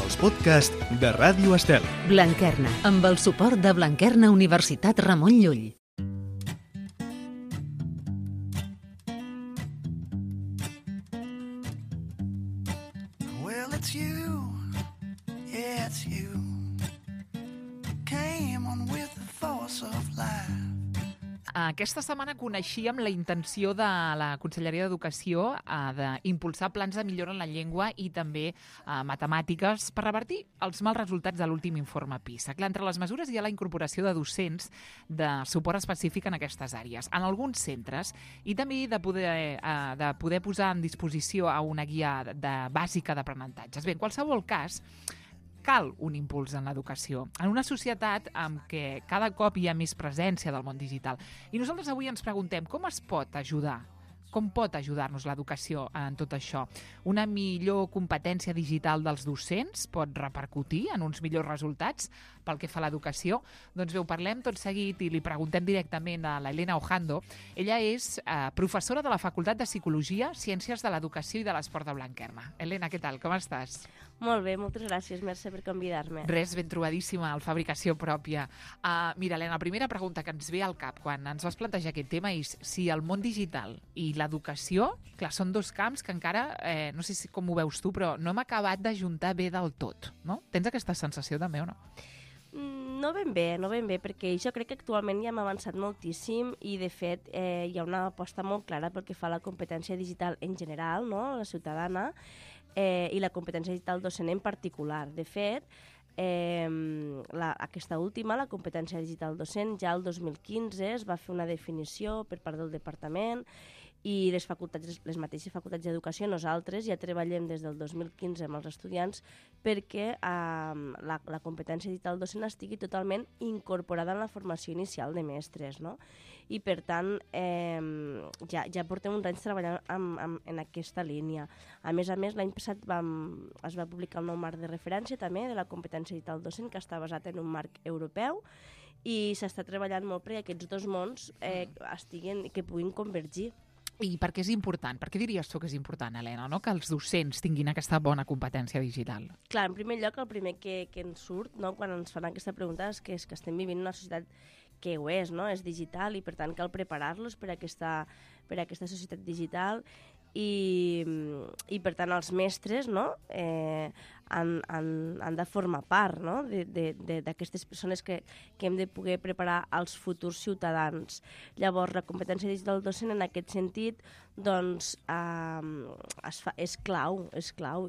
els podcasts de Ràdio Estel. Blanquerna, amb el suport de Blanquerna Universitat Ramon Llull. Well, it's you, yeah, it's you. Came on with the force of life. Aquesta setmana coneixíem la intenció de la Conselleria d'Educació d'impulsar plans de millora en la llengua i també matemàtiques per revertir els mals resultats de l'últim informe PISA. Clar, entre les mesures hi ha la incorporació de docents de suport específic en aquestes àrees, en alguns centres, i també de poder posar en disposició a una guia bàsica d'aprenentatges. Bé, en qualsevol cas, cal un impuls en l'educació, en una societat en què cada cop hi ha més presència del món digital. I nosaltres avui ens preguntem com es pot ajudar, com pot ajudar-nos l'educació en tot això? Una millor competència digital dels docents pot repercutir en uns millors resultats pel que fa a l'educació? Doncs bé, ho parlem tot seguit i li preguntem directament a l'Helena Ojando. Ella és professora de la Facultat de Psicologia, Ciències de l'Educació i de l'Esport de Blanquerna. Helena, què tal? Com estàs? Molt bé, moltes gràcies, Mercè, per convidar-me. Res, ben trobadíssima, al Fabricació Pròpia. Mira, Helena, la primera pregunta que ens ve al cap quan ens vas plantejar aquest tema és si el món digital i l'educació, clar, són dos camps que encara, no sé com ho veus tu, però no hem acabat d'ajuntar bé del tot, no? Tens aquesta sensació també o no? No ben bé, perquè jo crec que actualment ja hem avançat moltíssim i, de fet, hi ha una aposta molt clara pel que fa a la competència digital en general, no?, la ciutadana, i la competència digital docent en particular. De fet, aquesta última, la competència digital docent, ja el 2015 es va fer una definició per part del departament i les mateixes facultats d'educació, nosaltres ja treballem des del 2015 amb els estudiants perquè la competència digital docent estigui totalment incorporada en la formació inicial de mestres, no? I per tant ja portem uns anys treballant en aquesta línia. A més, l'any passat es va publicar el nou marc de referència també de la competència digital docent, que està basat en un marc europeu, i s'està treballant molt perquè aquests dos mons que puguin convergir. I per què és important? Per què diries tu que és important, Helena, no? Que els docents tinguin aquesta bona competència digital? Clar, en primer lloc, el primer que ens surt, no?, quan ens fan aquesta pregunta és que estem vivint una societat que ho és, no?, és digital, i per tant cal preparar-los per a aquesta societat digital i per tant els mestres, no?, han de formar part, no?, d'aquestes persones que hem de poder preparar als futurs ciutadans. Llavors, la competència digital docent en aquest sentit doncs és clau,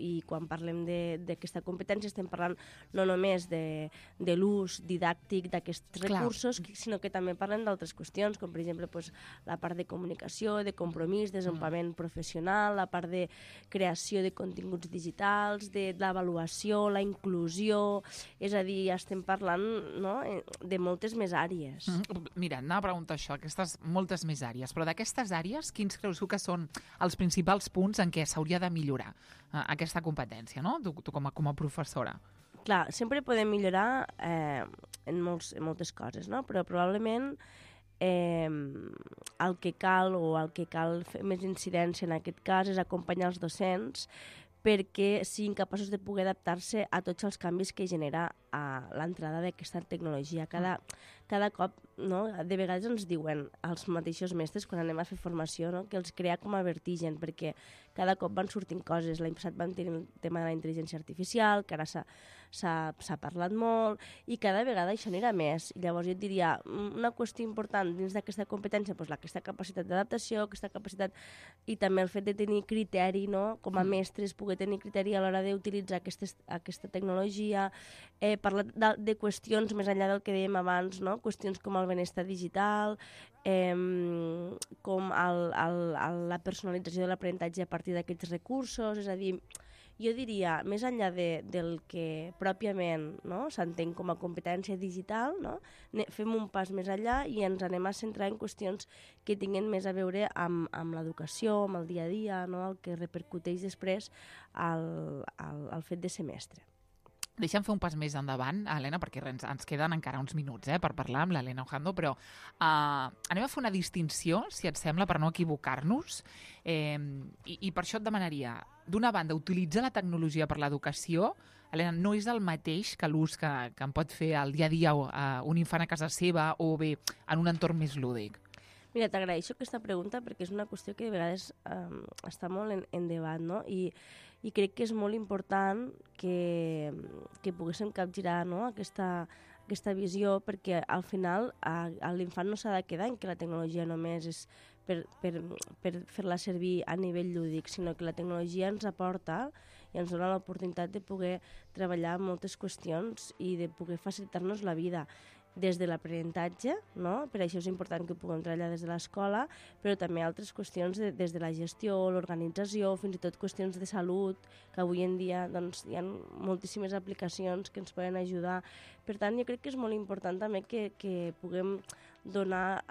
i quan parlem d'aquesta competència estem parlant no només de l'ús didàctic d'aquests recursos, sinó que també parlem d'altres qüestions, com per exemple la part de comunicació, de compromís, desenvolupament professional, la part de creació de continguts digitals, de l'avaluació, la inclusió, és a dir, estem parlant, no?, de moltes més àrees. Mira, anava a preguntar això, aquestes moltes més àrees, però d'aquestes àrees, quins creus tu que són els principals punts en què s'hauria de millorar aquesta competència, no?, tu com a professora? Clar, sempre podem millorar en moltes coses, no?, però probablement el que cal fer més incidència en aquest cas és acompanyar els docents perquè siguin capaços de poder adaptar-se a tots els canvis que genera l'entrada d'aquesta tecnologia. Cada cop, no?, de vegades ens diuen els mateixos mestres quan anem a fer formació, no?, que els crea com a vertigen, perquè cada cop van sortint coses. L'any passat vam tenir el tema de la intel·ligència artificial, que ara s'ha parlat molt, i cada vegada això anirà més. I llavors jo et diria, una qüestió important dins d'aquesta competència, doncs aquesta capacitat d'adaptació, aquesta capacitat, i també el fet de tenir criteri, no?, com a mestres, poder tenir criteri a l'hora d'utilitzar aquesta tecnologia, parlar de qüestions més enllà del que dèiem abans, no?, qüestions com el benestar digital, com la personalització de l'aprenentatge a partir d'aquests recursos. És a dir, jo diria, més enllà del que pròpiament, no?, s'entén com a competència digital, no?, fem un pas més enllà i ens anem a centrar en qüestions que tinguin més a veure amb l'educació, amb el dia a dia, no?, el que repercuteix després al fet de ser mestre. Deixa'm fer un pas més endavant, Helena, perquè ens queden encara uns minuts per parlar amb l'Helena Ojando, però anem a fer una distinció, si et sembla, per no equivocar-nos, i per això et demanaria, d'una banda, utilitzar la tecnologia per l'educació, Helena, no és el mateix que l'ús que en pot fer al dia a dia un infant a casa seva o bé en un entorn més lúdic. Mira, t'agraeixo aquesta pregunta perquè és una qüestió que de vegades està molt en debat, no? I crec que és molt important que poguéssim capgirar, no? aquesta visió, perquè al final l'infant no s'ha de quedar en que la tecnologia només és per fer-la servir a nivell lúdic, sinó que la tecnologia ens aporta i ens dona l'oportunitat de poder treballar moltes qüestions i de poder facilitar-nos la vida des de l'aprenentatge, no? Per això és important que ho puguem treballar des de l'escola, però també altres qüestions des de la gestió, l'organització, fins i tot qüestions de salut, que avui en dia doncs, hi ha moltíssimes aplicacions que ens poden ajudar. Per tant, jo crec que és molt important també que puguem donar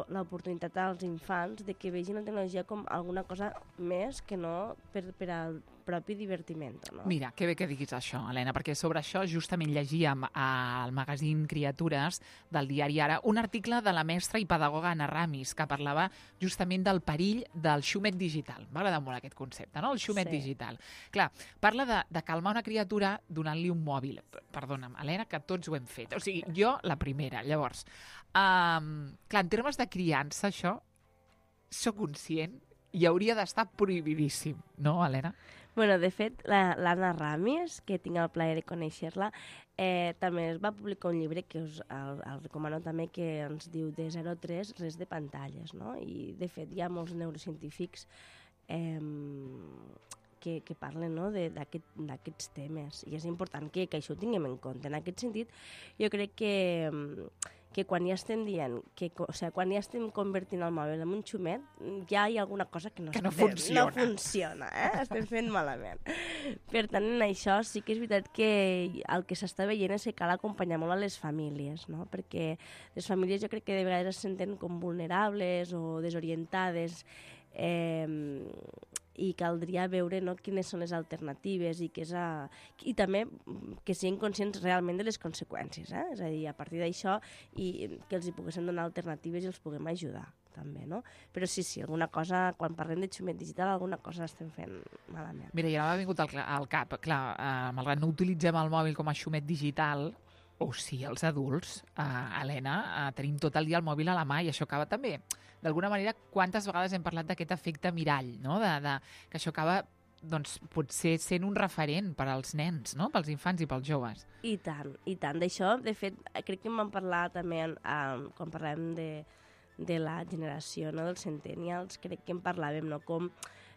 l'oportunitat als infants de que vegin la tecnologia com alguna cosa més que no per al propi divertiment. No? Mira, que bé que diguis això, Helena, perquè sobre això justament llegíem al magazín Criatures del diari Ara un article de la mestra i pedagoga Anna Ramis que parlava justament del perill del xumet digital. M'ha agradat molt aquest concepte, no? El xumet digital. Clar, parla de calmar una criatura donant-li un mòbil. Perdona'm, Helena, que tots ho hem fet. O sigui, jo la primera. Llavors, clar, en termes de criança, això, soc conscient i hauria d'estar prohibidíssim, no, Helena? Bueno, de fet, l'Anna Ramis, que tinc el plaer de conèixer-la, també es va publicar un llibre que el recomano també, que ens diu de 0 a 3, res de pantalles, no? I, de fet, hi ha molts neurocientífics que parlen, no? d'aquests temes. I és important que això ho tinguem en compte. En aquest sentit, jo crec que quan ja estem dient, quan ja estem convertint el mòbil en un xumet, ja hi ha alguna cosa que no funciona. Estem fent malament. Per tant, en això sí que és veritat que el que s'està veient és que cal acompanyar molt a les famílies, no? Perquè les famílies jo crec que de vegades es senten com vulnerables o desorientades, i caldria veure, no, quines són les alternatives i també que siguin conscients realment de les conseqüències, és a dir, a partir d'això i que els hi poguessin donar alternatives i els puguem ajudar també, no? Però sí, alguna cosa, quan parlem de xumet digital, alguna cosa estem fent malament. Mira, ja m'ha vingut al cap, clar, malgrat no utilitzem el mòbil com a xumet digital, o sí, els adults, Helena, tenim tot el dia el mòbil a la mà i això acaba també. D'alguna manera, quantes vegades hem parlat d'aquest efecte mirall, no? Que això acaba, doncs, potser sent un referent per als nens, no? Pels infants i pels joves. I tant. D'això, de fet, crec que en vam parlar també quan parlàvem de la generació, no? Dels centennials, crec que en parlàvem, no?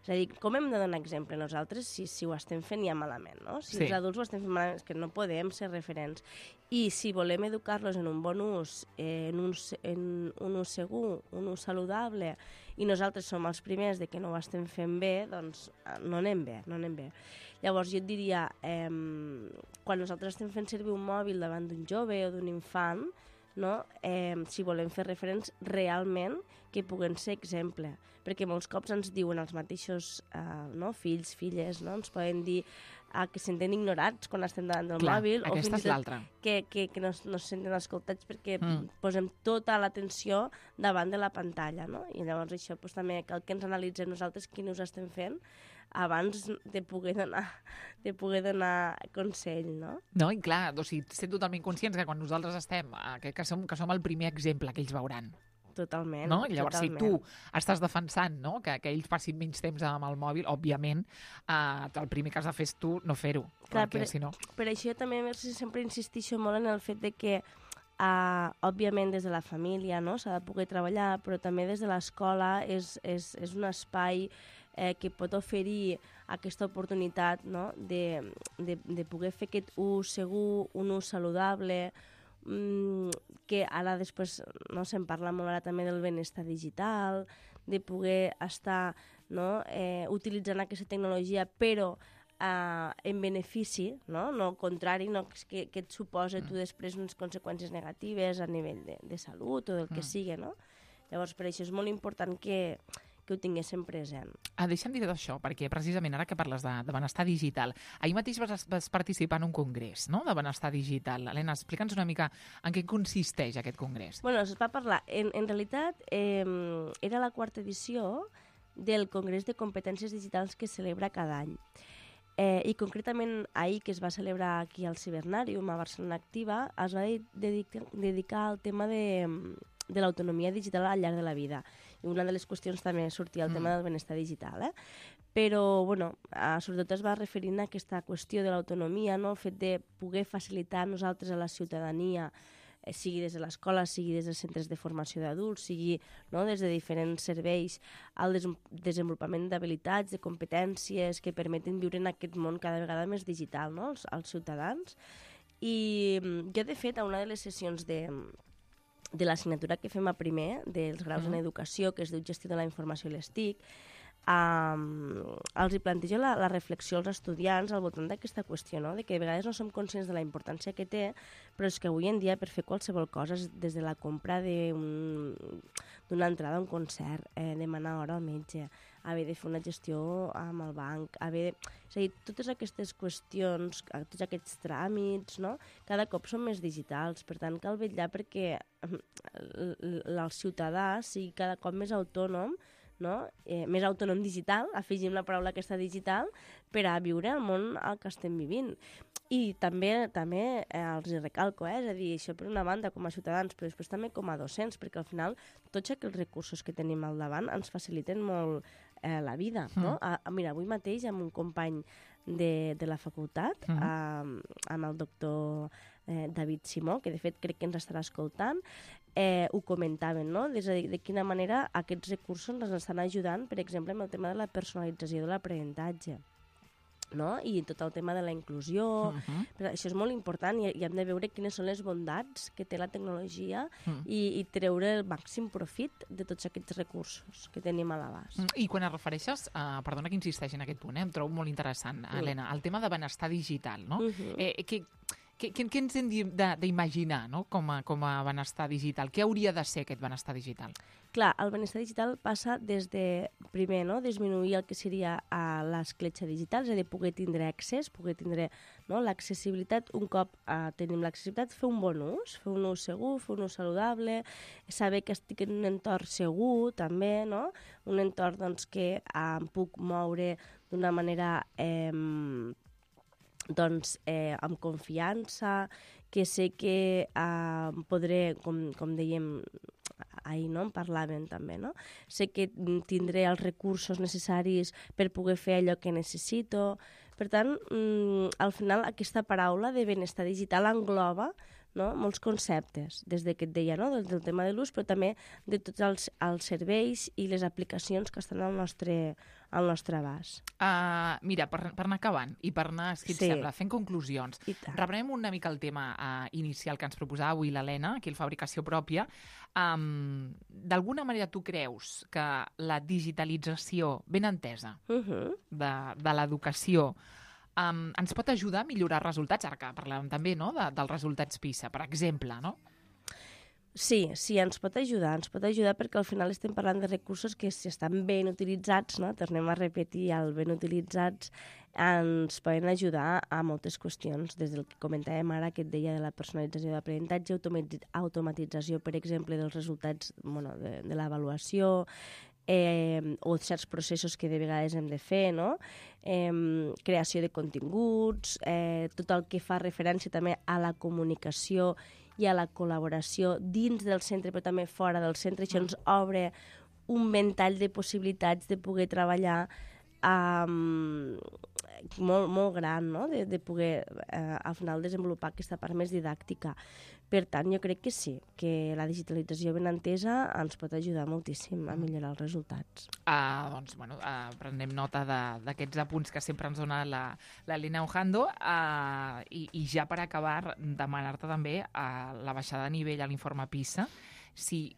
És a dir, com hem de donar exemple nosaltres si ho estem fent ja malament, no? Si els adults ho estem fent malament, és que no podem ser referents. I si volem educar-los en un bon ús, en un ús segur, un ús saludable, i nosaltres som els primers de que no ho estem fent bé, doncs no anem bé. Llavors jo et diria, quan nosaltres estem fent servir un mòbil davant d'un jove o d'un infant, no? Si volem fer referents realment que puguen ser exemple, perquè molts cops ens diuen els mateixos fills, filles, no? Ens poden dir que se senten ignorats quan estem davant del mòbil, o fins i tot que no se senten escoltats perquè posem tota l'atenció davant de la pantalla, no? I llavors això també cal que ens analitzem nosaltres quin ús estem fent abans de poder donar consell, no? No, i clar, o sigui, ser totalment conscients que quan nosaltres estem, que som el primer exemple que ells veuran. Totalment. No? I llavors, si tu estàs defensant, no, que ells passin menys temps amb el mòbil, òbviament, el primer que has de fer és tu no fer-ho. Clar, perquè, si no... Per això també sempre insistixo molt en el fet de que òbviament des de la família, no, s'ha de poder treballar, però també des de l'escola és un espai que pot oferir aquesta oportunitat, no, de poder fer aquest ús segur, un ús saludable, que ara després se'n parla molt ara també del benestar digital, de poder estar utilitzant aquesta tecnologia però en benefici, no al contrari, no, que et suposa tu després unes conseqüències negatives a nivell de salut o del que sigui, no? Llavors per això és molt important que que ho tinguéssim present. Deixa'm dir d'això, perquè precisament ara que parles de benestar digital, ahir mateix vas participar en un congrés, no?, de benestar digital. Helena, explica'ns una mica en què consisteix aquest congrés. Bueno, es va parlar, en realitat, era la 4ª edició del Congrés de Competències Digitals que es celebra cada any. I concretament ahir, que es va celebrar aquí al Cibernàrium, a Barcelona Activa, es va dedicar al tema de l'autonomia digital al llarg de la vida. I una de les qüestions també sortia el tema del benestar digital. Però, bueno, sobretot es va referint a aquesta qüestió de l'autonomia, no? El fet de poder facilitar nosaltres a la ciutadania, sigui des de l'escola, sigui des dels centres de formació d'adults, sigui, no, des de diferents serveis, el desenvolupament d'habilitats, de competències que permeten viure en aquest món cada vegada més digital, no?, als ciutadans. I jo, de fet, a una de les sessions de l'assignatura que fem a primer, dels graus en educació, que es diu Gestió de la Informació i les TIC, els hi plantejo la reflexió als estudiants al voltant d'aquesta qüestió, no?, de que de vegades no som conscients de la importància que té, però és que avui en dia per fer qualsevol cosa, des de la compra d'una entrada a un concert, demanar hora al metge, haver de fer una gestió amb el banc, és a dir, totes aquestes qüestions, tots aquests tràmits, no?, cada cop són més digitals, per tant cal vetllar perquè el ciutadà sigui cada cop més autònom, no? Més autònom digital, afegim la paraula aquesta digital, per a viure el món al que estem vivint. I també els recalco, és a dir, això per una banda com a ciutadans, però després també com a docents, perquè al final tots aquells recursos que tenim al davant ens faciliten molt la vida, no? Mira, avui mateix amb un company de la facultat, amb el doctor David Simó, que de fet crec que ens estarà escoltant, ho comentaven, no?, de quina manera aquests recursos ens estan ajudant, per exemple, amb el tema de la personalització de l'aprenentatge, no?, i tot el tema de la inclusió. Però això és molt important i hem de veure quines són les bondats que té la tecnologia i treure el màxim profit de tots aquests recursos que tenim a l'abast. I quan et refereixes, perdona que insisteixi en aquest punt, em trobo molt interessant, Helena, el tema de benestar digital, no? Què ens hem d'imaginar, no?, com a benestar digital? Què hauria de ser aquest benestar digital? Clar, el benestar digital passa des de, primer, no?, disminuir el que seria l'escletxa digital, és a dir, poder tindre accés, poder tindre, no, l'accessibilitat. Un cop tenim l'accessibilitat, fer un bon ús, fer un ús segur, fer un ús saludable, saber que estic en un entorn segur, també, no?, un entorn, doncs, que em puc moure d'una manera amb confiança, que sé que podré, com dèiem ahir, no?, en parlaven també, no?, sé que tindré els recursos necessaris per poder fer allò que necessito. Per tant, al final aquesta paraula de benestar digital engloba, no?, molts conceptes, des que et deia, no?, del tema de l'ús, però també de tots els serveis i les aplicacions que estan al nostre abast. Mira, per anar acabant i per anar, si et sembla, fent conclusions, reprenem una mica el tema inicial que ens proposava avui l'Helena, aquí el Fabricació Pròpia. D'alguna manera tu creus que la digitalització ben entesa de l'educació ens pot ajudar a millorar resultats? Ara que parlàvem també, no?, dels resultats PISA, per exemple, no? Sí, ens pot ajudar perquè al final estem parlant de recursos que, si estan ben utilitzats, no?, tornem a repetir, el ben utilitzats ens poden ajudar a moltes qüestions, des del que comentàvem ara, que et deia de la personalització de l'aprenentatge, automatització, per exemple, dels resultats, de l'avaluació, o certs processos que de vegades hem de fer, no?, creació de continguts, tot el que fa referència també a la comunicació i a la col·laboració dins del centre, però també fora del centre. Això ens obre un ventall de possibilitats de poder treballar molt, molt gran, no?, de poder al final desenvolupar aquesta part més didàctica. Per tant, jo crec que sí, que la digitalització ben entesa ens pot ajudar moltíssim a millorar els resultats. Doncs, prenem nota d'aquests apunts que sempre ens dona l'Helena Ojando, i ja per acabar, demanar-te també la baixada de nivell a l'informe PISA. Si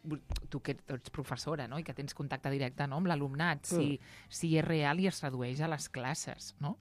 tu que ets professora, no?, i que tens contacte directe, no?, amb l'alumnat, si és real i es redueix a les classes, no?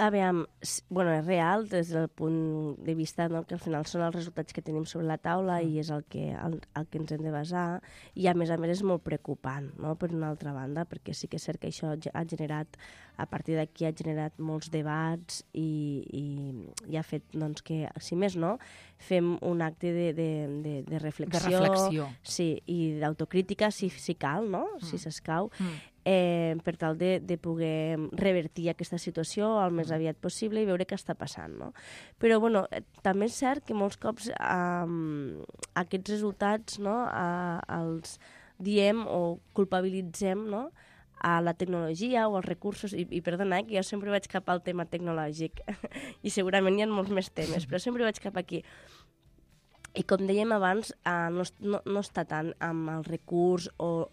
Aviam, bueno, és real des del punt de vista, no, que al final són els resultats que tenim sobre la taula i és el que ens hem de basar, i a més és molt preocupant, no, per una altra banda, perquè sí que és cert que això ha generat, a partir d'aquí ha generat molts debats i ha fet doncs, que, si més no, fem un acte de reflexió. De reflexió. Sí, i d'autocrítica si cal, no? Si s'escau. Per tal de poder revertir aquesta situació el més aviat possible i veure què està passant, no? Però, bueno, també és cert que molts cops aquests resultats, no, els diem o culpabilitzem, no, a la tecnologia o als recursos, i perdona, que jo sempre vaig cap al tema tecnològic, i segurament hi ha molts més temes, però sempre vaig cap aquí. I com dèiem abans, no està tant amb el recurs o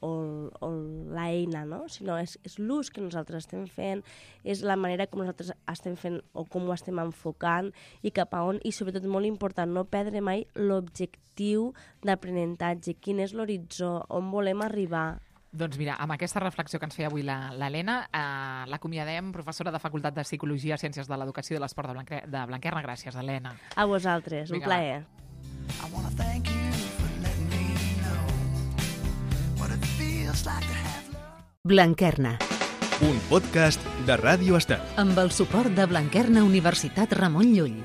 l'eina, no? Sinó és l'ús que nosaltres estem fent, és la manera com nosaltres estem fent o com ho estem enfocant i cap a on, i sobretot molt important, no perdre mai l'objectiu d'aprenentatge, quin és l'horitzó, on volem arribar. Doncs mira, amb aquesta reflexió que ens feia avui l'Helena, l'acomiadem, professora de Facultat de Psicologia, Ciències de l'Educació i de l'Esport de Blanquerna. Gràcies, Helena. A vosaltres, un plaer. I wanna thank you for letting me know what it feels like to have love. Blanquerna, Un podcast de Ràdio Estel. amb el suport de Blanquerna Universitat Ramon Llull.